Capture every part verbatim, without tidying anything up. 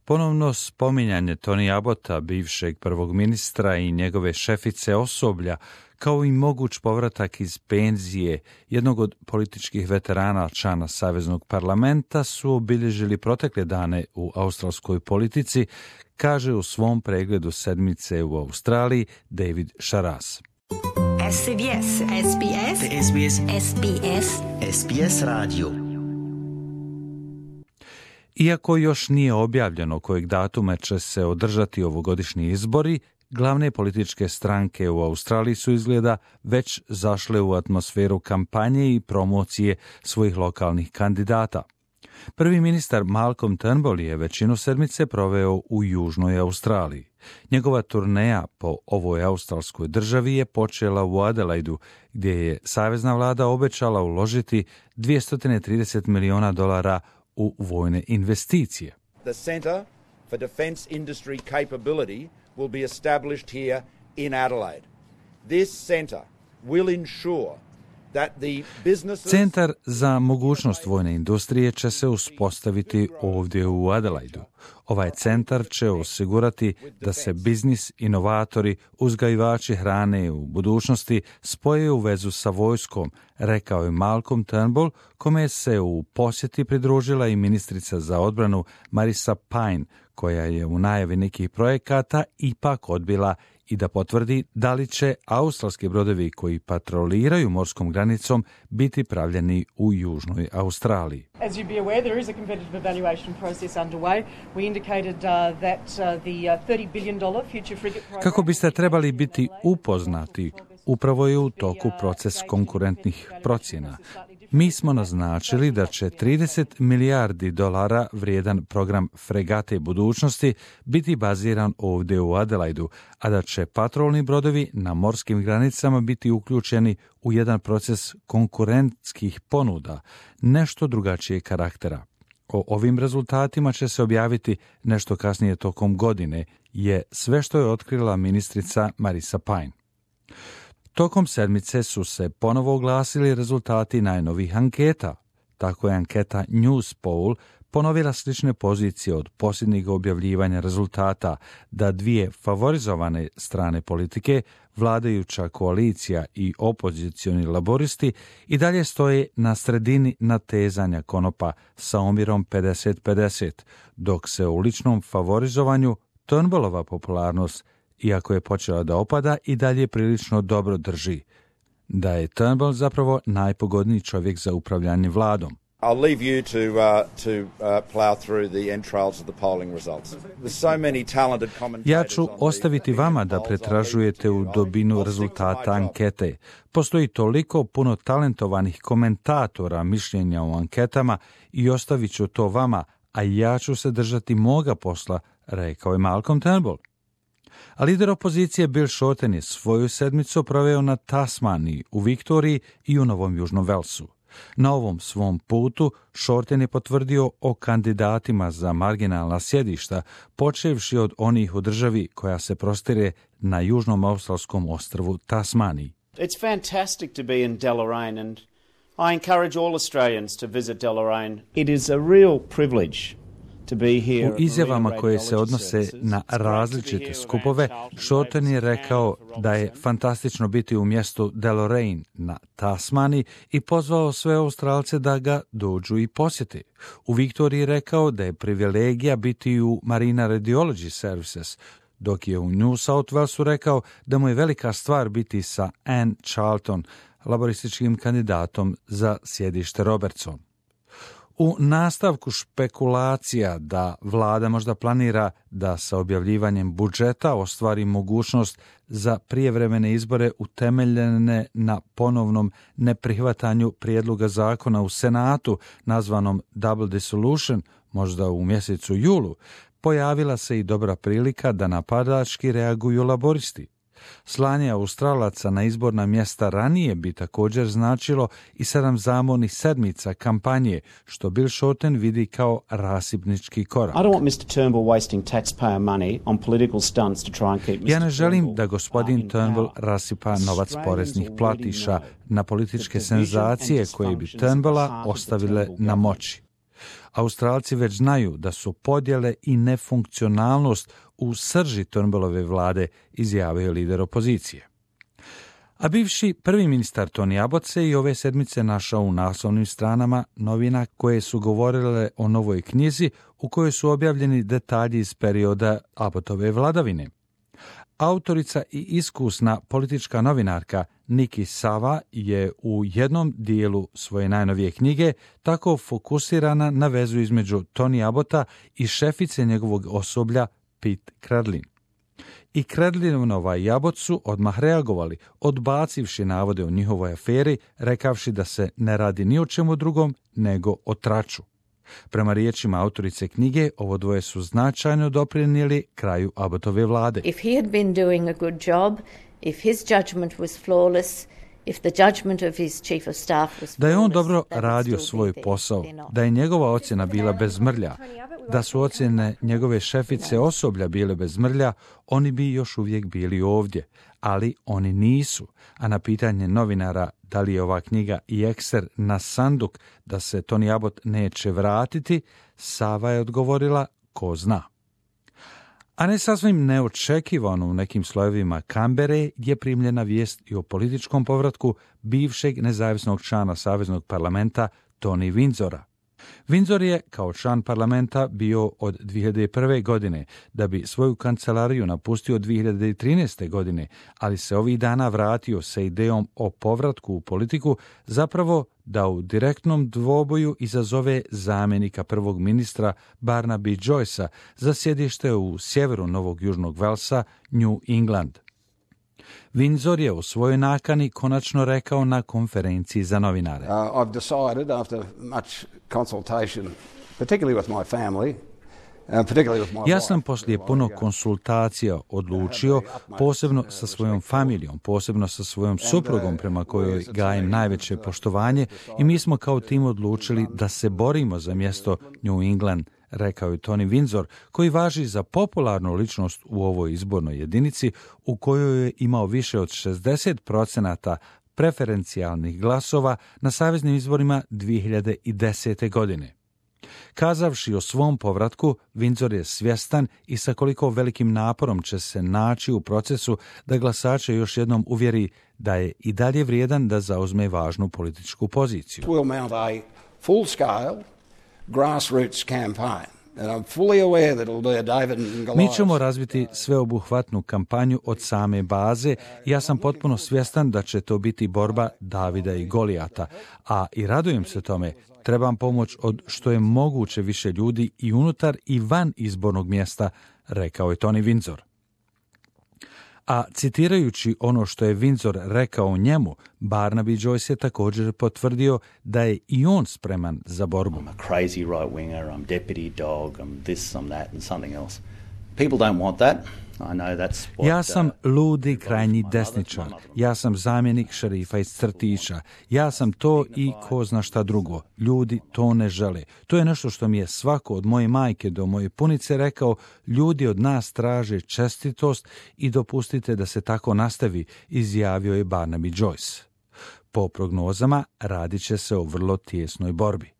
Ponovno spominjanje Tony Abbotta, bivšeg prvog ministra i njegove šefice osoblja, kao i moguć povratak iz penzije jednog od političkih veterana člana Saveznog parlamenta su obilježili protekle dane u australskoj politici, kaže u svom pregledu sedmice u Australiji David Sharas. S B S, S B S, S B S, S B S, S B S radio. Iako još nije objavljeno kojeg datuma će se održati ovogodišnji izbori, glavne političke stranke u Australiji su izgleda već zašle u atmosferu kampanje i promocije svojih lokalnih kandidata. Prvi ministar Malcolm Turnbull je većinu sedmice proveo u Južnoj Australiji. Njegova turneja po ovoj australskoj državi je počela u Adelaidu, gdje je savezna vlada obećala uložiti dvjesto trideset miliona dolara u vojne investicije. The Centre for Defence Industry Capability will be established here in Adelaide. This centre will ensure that the businesses... Centar za mogućnost vojne industrije će se uspostaviti ovdje u Adelaidu. Ovaj centar će osigurati da se biznis, inovatori, uzgajivači hrane u budućnosti spoje u vezu sa vojskom, rekao je Malcolm Turnbull, kome se u posjeti pridružila i ministrica za odbranu Marissa Payne, koja je u najavi nekih projekata ipak odbila i da potvrdi da li će australski brodovi koji patroliraju morskom granicom biti pravljeni u Južnoj Australiji. As you be aware, there is a competitive evaluation process underway. We indicated uh, that uh, the thirty billion dollars Future Frigate program... Kako biste trebali biti upoznati, upravo je u toku proces konkurentnih procjena. Mi smo naznačili da će trideset milijardi dolara vrijedan program fregate budućnosti biti baziran ovdje u Adelaidu, a da će patrolni brodovi na morskim granicama biti uključeni u jedan proces konkurentskih ponuda, nešto drugačijeg karaktera. O ovim rezultatima će se objaviti nešto kasnije tokom godine, je sve što je otkrila ministrica Marissa Payne. Tokom sedmice su se ponovo oglasili rezultati najnovih anketa. Tako je anketa Newspoll ponovila slične pozicije od posljednjeg objavljivanja rezultata, da dvije favorizovane strane politike, vladajuća koalicija i opozicioni laboristi, i dalje stoje na sredini natezanja konopa sa omjerom pedeset pedeset, dok se u ličnom favorizovanju Turnbullova popularnost, iako je počela da opada, i dalje prilično dobro drži. Da je Turnbull zapravo najpogodniji čovjek za upravljanje vladom. I'll leave you to uh, to uh, plow through the entrails of the polling results. There's so many talented commentators. Ja ću ostaviti vama da pretražujete u dubinu rezultata ankete. Postoji toliko puno talentovanih komentatora mišljenja o anketama i ostavit ću to vama, a ja ću se držati moga posla, rekao je Malcolm Turnbull. A lider opozicije Bill Shorten je svoju sedmicu proveo na Tasmaniji, u Viktoriji i u Novom Južnom Velsu. Na ovom svom putu Shorten je potvrdio o kandidatima za marginalna sjedišta, počevši od onih u državi koja se prostire na južnom australskom ostrvu Tasmaniji. It's fantastic to be in Deloraine and I encourage all Australians to visit Deloraine. It is a real privilege. U izjavama koje se odnose na različite skupove, Shorten je rekao da je fantastično biti u mjestu Deloraine na Tasmaniji i pozvao sve Australce da ga dođu i posjete. U Viktoriji rekao da je privilegija biti u Marina Radiology Services, dok je u New South Walesu rekao da mu je velika stvar biti sa Anne Charlton, laborističkim kandidatom za sjedište Robertson. U nastavku špekulacija da vlada možda planira da sa objavljivanjem budžeta ostvari mogućnost za prijevremene izbore utemeljene na ponovnom neprihvatanju prijedloga zakona u Senatu nazvanom Double Dissolution, možda u mjesecu julu, pojavila se i dobra prilika da napadački reaguju laboristi. Slanje Australaca na izborna mjesta ranije bi također značilo i sedam zamornih sedmica kampanje, što Bill Shorten vidi kao rasipnički korak. Ja ne želim da gospodin Turnbull rasipa novac poreznih platiša na političke senzacije koje bi Turnbulla ostavile na moći. Australci već znaju da su podjele i nefunkcionalnost u srži Turnbullove vlade, izjavio lider opozicije. A bivši prvi ministar Tony Abbott se i ove sedmice našao u naslovnim stranama novina koje su govorile o novoj knjizi u kojoj su objavljeni detalji iz perioda Abbottove vladavine. Autorica i iskusna politička novinarka Nikki Sava je u jednom dijelu svoje najnovije knjige tako fokusirana na vezu između Tony Abbotta i šefice njegovog osoblja Pete Credlin. I Credlinova i Abbott su odmah reagovali, odbacivši navode o njihovoj aferi, rekavši da se ne radi ni o čemu drugom nego o traču. Prema riječima autorice knjige, ovo dvoje su značajno doprinijeli kraju Abbotove vlade. If he had been doing a good job, if his judgment was flawless, if the judgment of his chief of staff was flawless, da je on dobro radio svoj posao, da je njegova ocjena bila bez mrlja, da su ocjene njegove šefice osoblja bile bez mrlja, oni bi još uvijek bili ovdje, ali oni nisu. A na pitanje novinara da li je ova knjiga i ekser na sanduk da se Tony Abbott neće vratiti, Sava je odgovorila ko zna. A ne sasvim neočekivano u nekim slojevima Kambere je primljena vijest i o političkom povratku bivšeg nezavisnog člana Saveznog parlamenta Tony Windsora. Windsor je kao član parlamenta bio od dvije hiljade prve. godine, da bi svoju kancelariju napustio dvije hiljade trinaeste. godine, ali se ovih dana vratio sa idejom o povratku u politiku, zapravo da u direktnom dvoboju izazove zamjenika prvog ministra Barnaby Joycea za sjedište u sjeveru Novog Južnog Velsa, New England. Windsor je u svojoj nakani konačno rekao na konferenciji za novinare. Uh, I've decided after much consultation, particularly with my family, Ja sam poslije puno konsultacija odlučio, posebno sa svojom familijom, posebno sa svojom suprugom prema kojoj gajem najveće poštovanje, i mi smo kao tim odlučili da se borimo za mjesto New England, rekao je Tony Windsor, koji važi za popularnu ličnost u ovoj izbornoj jedinici u kojoj je imao više od šezdeset procenata preferencijalnih glasova na saveznim izborima dvije hiljade desete. godine. Kazavši o svom povratku, Windsor je svjestan i sa koliko velikim naporom će se naći u procesu da glasače još jednom uvjeri da je i dalje vrijedan da zauzme važnu političku poziciju. We'll mount a full-scale grassroots campaign. And I'm fully aware that it'll be a David and Goliath. Mi ćemo razviti sveobuhvatnu kampanju od same baze. Ja sam potpuno svjestan da će to biti borba Davida i Golijata, a i radujem se tome. Trebam pomoć od što je moguće više ljudi i unutar i van izbornog mjesta, rekao je Tony Windsor. A citirajući ono što je Windsor rekao o njemu, Barnaby Joyce je također potvrdio da je i on spreman za borbu. I'm a crazy right-winger, I'm deputy dog, I'm this, I'm that and something else. People don't want that. I know that's what, ja sam ludi krajnji desničar, ja sam zamjenik šerifa iz crtića, ja sam to i ko zna šta drugo. Ljudi to ne žele. To je nešto što mi je svako od moje majke do moje punice rekao, ljudi od nas traže čestitost i dopustite da se tako nastavi, izjavio je Barnaby Joyce. Po prognozama radit će se o vrlo tijesnoj borbi,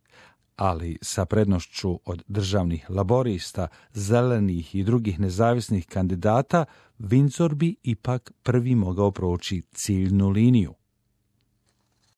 ali sa prednošću od državnih laborista, zelenih i drugih nezavisnih kandidata, Windsor bi ipak prvi mogao proći ciljnu liniju.